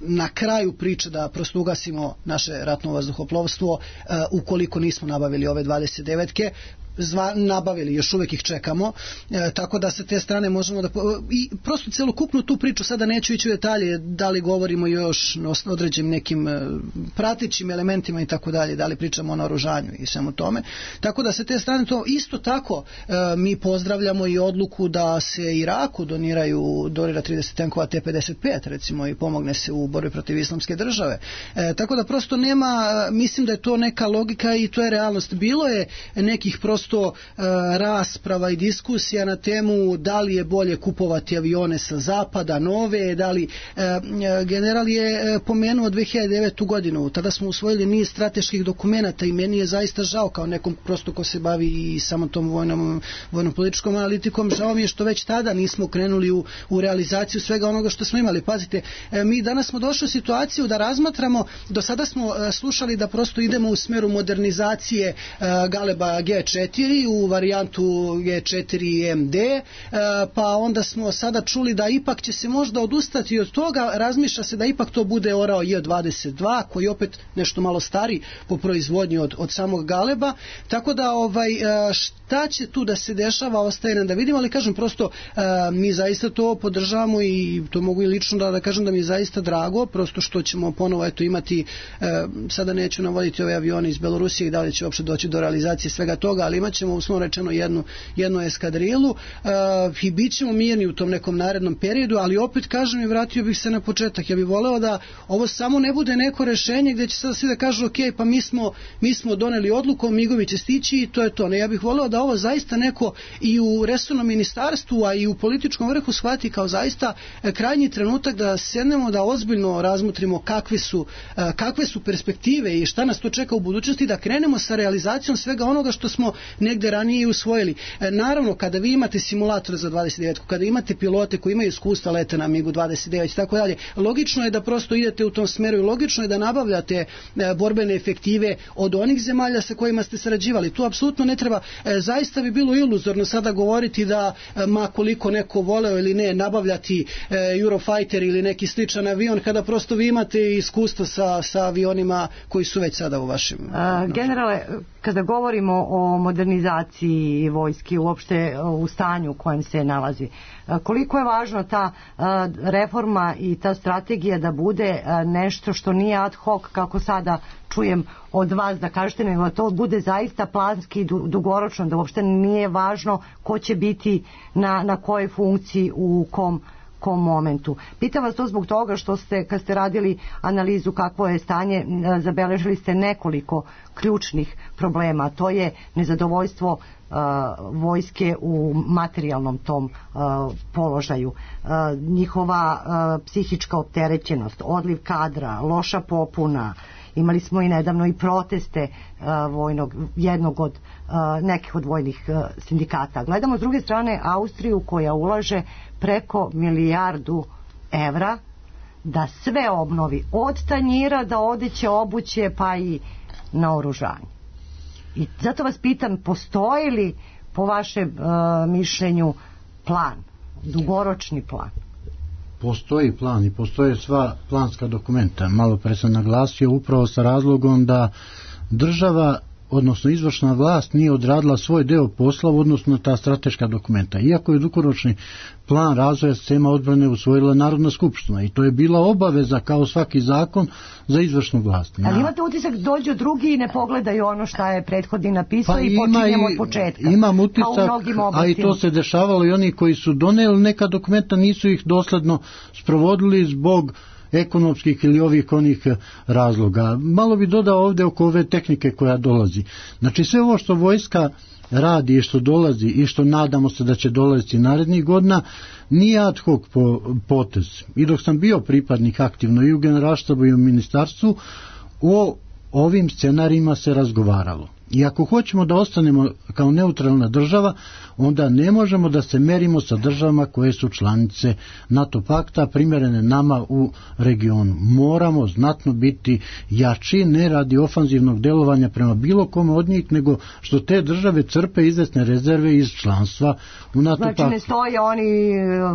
na kraju priče da prosto ugasimo naše ratno vazduhoplovstvo ukoliko nismo nabavili ove 29-ke, nabavili, još uvek ih čekamo, tako da sa te strane možemo da i prosto celokupnu tu priču, sada neću ići u detalje da li govorimo još o određenim nekim pratećim elementima i tako dalje, da li pričamo o naoružanju i svemu tome, tako da sa te strane to isto tako mi pozdravljamo i odluku da se Iraku donira 30 tenkova T-55 recimo i pomogne se u borbi protiv islamske države, tako da prosto nema, mislim da je to neka logika i to je realnost. Bilo je nekih prosto rasprava i diskusija na temu da li je bolje kupovati avione sa zapada, nove, da li general je pomenuo 2009. godinu, tada smo usvojili niz strateških dokumenata i meni je zaista žao kao nekom prosto ko se bavi i samo tom vojno-političkom analitikom, žao mi je što već tada nismo krenuli u realizaciju svega onoga što smo imali. Pazite, mi danas smo došli u situaciju da razmatramo, do sada smo slušali da prosto idemo u smeru modernizacije Galeba G4 u varijantu G4 MD, pa onda smo sada čuli da ipak će se možda odustati od toga, razmišlja se da ipak to bude orao J22 koji opet nešto malo stari po proizvodnji od samog Galeba, tako da šta će tu da se dešava ostaje nam da vidimo, ali kažem prosto mi zaista to podržavamo i to mogu i lično da kažem da mi je zaista drago, prosto što ćemo ponovo imati, sada neću navoditi ove avione iz Belorusije i da li će uopšte doći do realizacije svega toga, ali imat ćemo uslovno rečeno jednu eskadrilu i bit ćemo mirni u tom nekom narednom periodu, ali opet kažem i vratio bih se na početak. Ja bih voleo da ovo samo ne bude neko rešenje gdje će sada svi da kažu ok, pa mi smo doneli odluku, Migovi će stići i to je to. Ne, ja bih voleo da ovo zaista neko i u resornom ministarstvu, a i u političkom vrhu shvati kao zaista krajnji trenutak da sednemo, da ozbiljno razmotrimo kakve su perspektive i šta nas to čeka u budućnosti, da krenemo sa realizacijom svega onoga što smo negde ranije usvojili. Naravno, kada vi imate simulator za 29, kada imate pilote koji imaju iskustva leta na MiG-u 29 i tako dalje, logično je da prosto idete u tom smeru i logično je da nabavljate borbene efektive od onih zemalja sa kojima ste sarađivali. Tu apsolutno ne treba, zaista bi bilo iluzorno sada govoriti da ma koliko neko voleo ili ne nabavljati Eurofighter ili neki sličan avion kada prosto vi imate iskustva sa avionima koji su već sada u vašim... Generale, kada govorimo o modernizaciji vojske uopšte u stanju u kojem se nalazi, koliko je važno ta reforma i ta strategija da bude nešto što nije ad hoc kako sada čujem od vas da kažete, nego da to bude zaista planski i dugoročno, da uopšte nije važno ko će biti na kojoj funkciji u kom momentu. Pitam vas to zbog toga što kad ste radili analizu kakvo je stanje, zabeležili ste nekoliko ključnih problema. To je nezadovoljstvo vojske u materijalnom tom položaju, njihova psihička opterećenost, odliv kadra, loša popuna. Imali smo i nedavno i proteste nekih od vojnih sindikata. Gledamo s druge strane Austriju koja ulaže preko 1 milijardu evra da sve obnovi, od tanjira do odeće, obuće pa i naoružanje. I zato vas pitam, postoji li po vašem mišljenju plan, dugoročni plan? Postoji plan i postoje sva planska dokumenta. Malo pre sam naglasio upravo sa razlogom da država, odnosno izvršna vlast nije odradila svoj deo posla, odnosno ta strateška dokumenta. Iako je dugoročni plan razvoja sistema odbrane usvojila Narodna skupština i to je bila obaveza kao svaki zakon za izvršnu vlast. Ali imate utisak dođu drugi i ne pogledaju ono što je prethodni napisao i počinjemo od početka. Imam utisak, a i to se dešavalo i oni koji su doneli neka dokumenta nisu ih dosledno sprovodili zbog ekonomskih ili onih razloga. Malo bi dodao ovdje oko ove tehnike koja dolazi. Znači sve ovo što vojska radi i što dolazi i što nadamo se da će dolaziti narednih godina nije ad hoc potez. I dok sam bio pripadnik aktivno i u generalštabu i u ministarstvu, o ovim scenarijima se razgovaralo. I ako hoćemo da ostanemo kao neutralna država, onda ne možemo da se merimo sa državama koje su članice NATO pakta, primjerene nama u regionu. Moramo znatno biti jači, ne radi ofanzivnog delovanja prema bilo kome od njih, nego što te države crpe izvesne rezerve iz članstva u NATO paktu. Znači ne stoje oni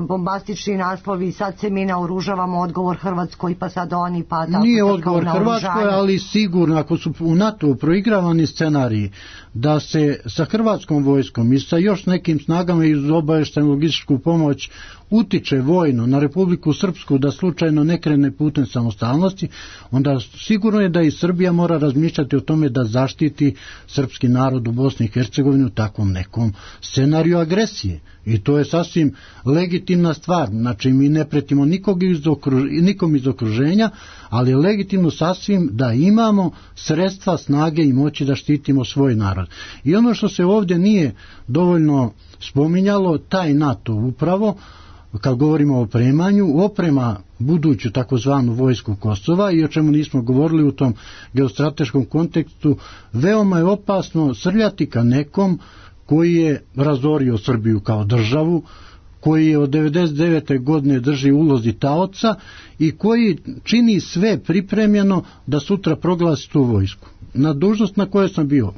bombastični naslovi, sad se mi naoružavamo, odgovor Hrvatskoj, pa sad oni, pa tako. Nije odgovor Hrvatskoj, ali sigurno ako su u NATO proigravani scenariji da se sa hrvatskom vojskom i sa još nekim snagama iz obavještajnu logističku pomoć utiče vojno na Republiku Srpsku da slučajno ne krene putem samostalnosti, onda sigurno je da i Srbija mora razmišljati o tome da zaštiti srpski narod u Bosni i Hercegovini u takvom nekom scenariju agresije. I to je sasvim legitimna stvar. Znači mi ne pretimo nikom iz okruženja, ali je legitimno sasvim da imamo sredstva, snage i moći da štitimo svoj narod. I ono što se ovdje nije dovoljno spominjalo, taj NATO upravo, kad govorimo o opremanju, oprema buduću takozvanu vojsku Kosova, i o čemu nismo govorili u tom geostrateškom kontekstu, veoma je opasno srljati ka nekom koji je razorio Srbiju kao državu, koji je od 99. godine drži ulozi taoca i koji čini sve pripremljeno da sutra proglasi tu vojsku. Na dužnost na kojoj sam bio,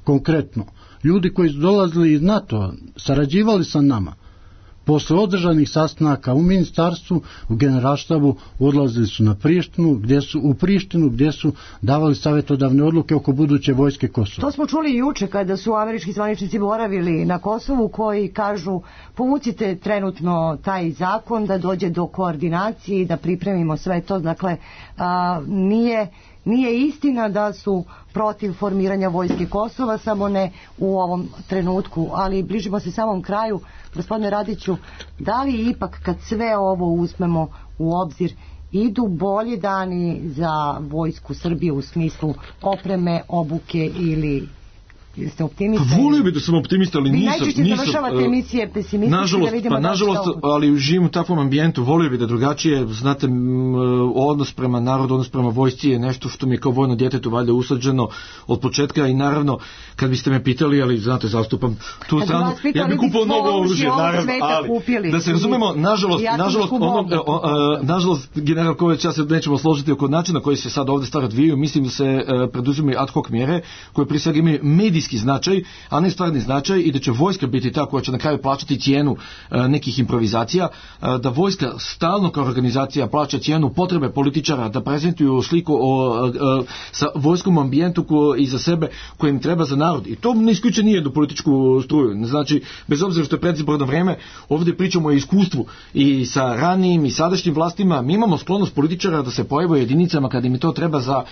konkretno, ljudi koji su dolazili iz NATO, sarađivali sa nama, posle održanih sastanaka u ministarstvu, u generalštabu, odlazili su u Prištinu, gdje su davali savjetodavne odluke oko buduće vojske Kosova. To smo čuli juče kada su američki zvaničnici boravili na Kosovu, koji kažu povucite trenutno taj zakon da dođe do koordinacije i da pripremimo sve to. Dakle, nije istina da su protiv formiranja vojske Kosova, samo ne u ovom trenutku, ali bližimo se samom kraju. Gospodine Radiću, da li ipak kad sve ovo uzmemo u obzir idu bolji dani za vojsku Srbije u smislu opreme, obuke, ili ste optimista? Pa volio bi da sam optimista, ali nisam. Vi najčešće završavate emisije pesimistički, da vidimo nažalost, ali živim u takvom ambijentu, volio bi da drugačije, znate, odnos prema narodu, odnos prema vojsci je nešto što mi je kao vojno djetetu valjda usađeno od početka, i naravno, kad biste me pitali, ali znate, zastupam tu stranu, ja bih kupao novo oružje, naravno, ali da se razumemo, nažalost, general Kovač, ja se nećemo složiti oko načina koji se sad ovdje stvari odvijaju. Mislim da se preduzimaju ad hoc mjere koje prije svega imaju medijski značaj, a ne stvarni značaj, i da će vojska biti ta koja će na kraju plaćati cijenu nekih improvizacija, da vojska stalno kao organizacija plaća cijenu potrebe političara da prezentuju sliku sa vojskom ambijentu iza sebe kojem treba za narod. I to ne isključuje nije do političku struju. Znači, bez obzira što je predizborno vrijeme, ovdje pričamo o iskustvu i sa ranijim i sadašnjim vlastima. Mi imamo sklonost političara da se pojave u jedinicama kad im to treba za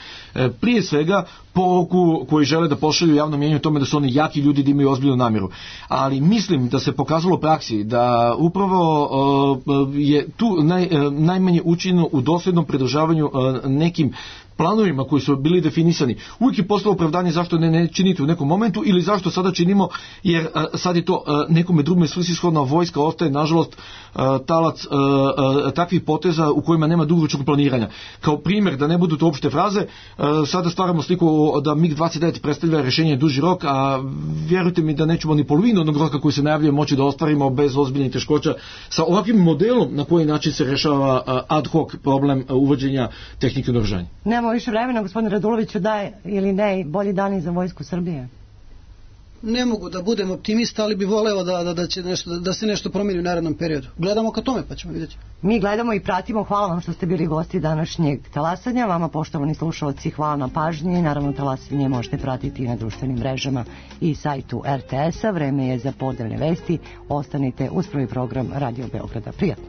prije svega poruku koji žele da pošalju javno mjenju tome da su oni jaki ljudi, da imaju ozbiljnu namjeru. Ali mislim da se pokazalo u praksi da upravo je tu najmanje učinjeno u dosljednom pridržavanju nekim planovima koji su bili definisani. Uvijek je postalo opravdanje zašto ne činiti u nekom momentu, ili zašto sada činimo, jer sad je to nekome drugome svrsishodna. Vojska ostaje, nažalost, talac takvih poteza u kojima nema dugoročnog planiranja. Kao primjer, da ne budu to opšte fraze, sada stvaramo sliku da MiG-29 predstavlja rješenje duži rok, a vjerujte mi da nećemo ni polovinu onog roka koji se najavljuje moći da ostvarimo bez ozbiljnih teškoća sa ovakvim modelom na koji način se rješava ad hoc problem uvođenja tehnike naoružanja. Nemamo više vremena, gospodine Raduloviću, da je ili ne bolji dani za vojsku Srbije? Ne mogu da budem optimista, ali bi voleo da se nešto promijeni u narednom periodu. Gledamo ka tome, pa ćemo vidjeti. Mi gledamo i pratimo. Hvala vam što ste bili gosti današnjeg talasanja. Vama, poštovani slušalci, hvala na pažnji. Naravno, talasanje možete pratiti i na društvenim mrežama i sajtu RTS-a. Vreme je za podeljne vesti. Ostanite uz prvi program Radio Beograda. Prijatno.